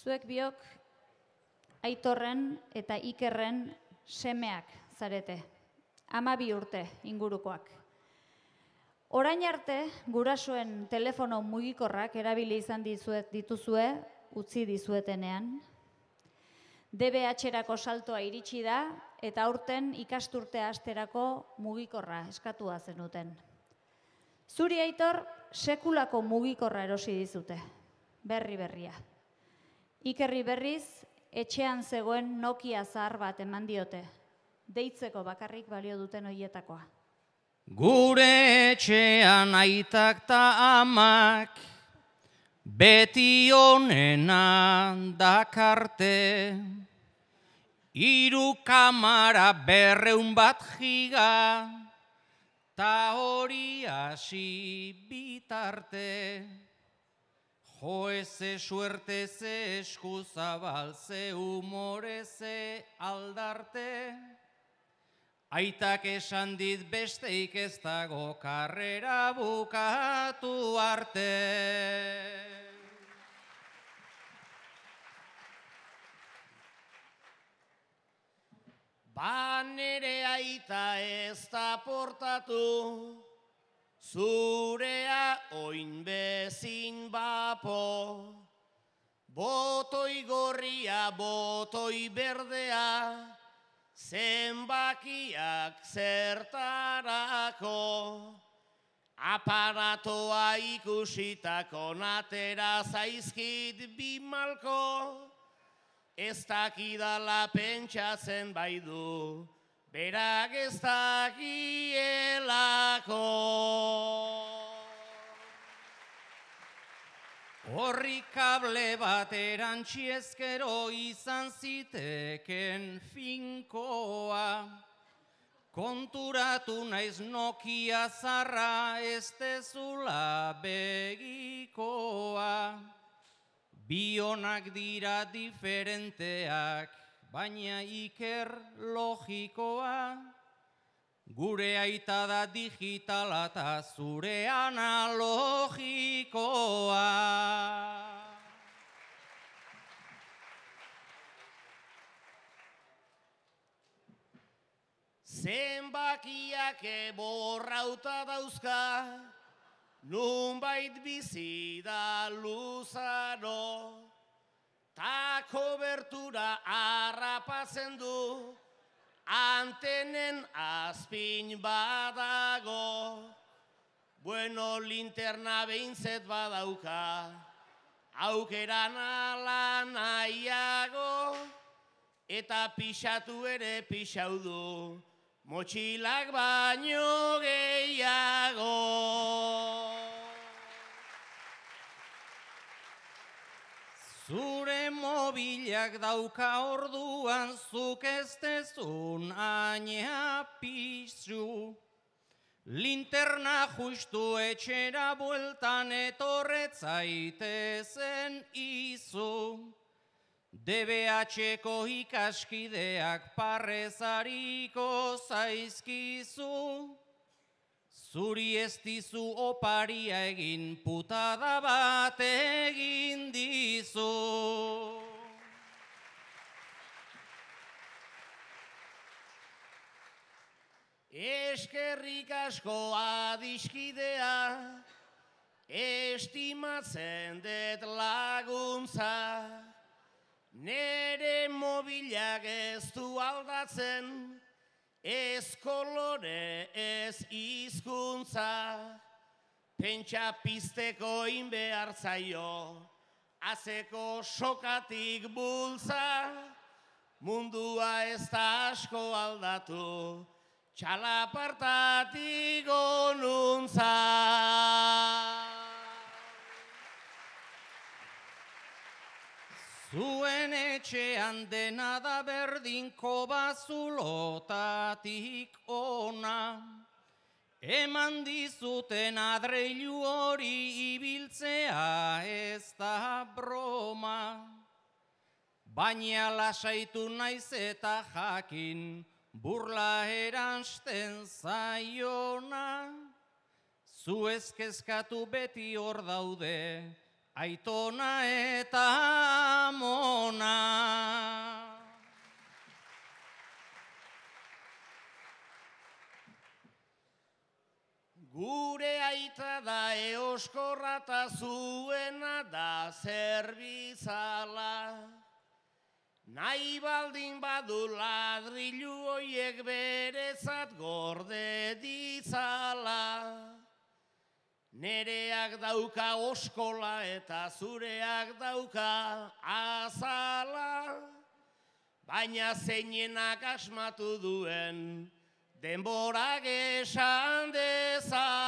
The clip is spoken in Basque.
Zuek biok Aitorren eta Ikerren semeak zarete, 12 urte ingurukoak. Orain arte, gurasoen telefono mugikorrak erabili izan dituzue, utzi dizuetenean. DBH-erako saltoa iritsi da eta aurten ikasturtea hasterako mugikorra eskatua zenuten. Zuri, Aitor, sekulako mugikorra erosi dizute, berria. Ikerri berriz, etxean zegoen Nokia zahar bat eman diote, deitzeko bakarrik balio duten hoietakoa. Gure etxean aitak ta amak, beti onena dakarte, 3 kamara 200 bat giga, ta hori hasi bitarte. Jo eze suerte ze eskuzabal ze humore ze aldarte, aitak esan dit besteik ez dago karrera bukatu arte. Ba nere aita ez da portatu, zurea oin bezin bapo, botoi gorria, botoi berdea, zenbakiak zertarako, aparatoa ikusitako natera zaizkit 2 malko, ez dakidala pentsatzen bai du, berak ez dakielako. Horri kable bat erantzi ezkero izan ziteken finkoa, konturatu naiz Nokia zarra ez dezula begikoa. Bionak dira diferenteak, baina Iker logikoa, gure aita da digitala eta zure analogikoa. Zenbakiak borrauta dauzka, nunbait bizi da luzaro, ta kobertura harrapatzen du, antenen azpin badago. Bueno, linterna behintzet badauka, aukeran ala nahiago, eta pixatu ere pixau du, motxilak baino gehiago. Zure mobilak dauka orduan zuk ez dezun aina pixu, linterna justu etxera bueltan etorretzaitezen izu, DBH-ko ikaskideak parrezariko zaizkizu, zuri ez dizu oparia egin, putada bat egin dizu. Eskerrik asko adiskidea, estimatzen dut laguntza, nere mobilak ez du aldatzen, ez kolore ez hizkuntza, pentsa pizteko inbehar zaio, azeko sokatik bultza, mundua ez da asko aldatu, txalapartatik onuntza. Zuen etxean dena da berdinko bazulotatik ona, eman dizuten adreilu hori ibiltzea ez da broma, baina lasaitu naiz eta jakin burla eransten zaiona, zu ez kezkatu beti hor daude, aitona eta amona. oskorra ta zuena da zerbizala. Nahi baldin badu ladrilu hoiek berezat gorde ditzala. Nereak dauka oskola eta zureak dauka azala. Baina zeinenak asmatu duen denborak esan dezala.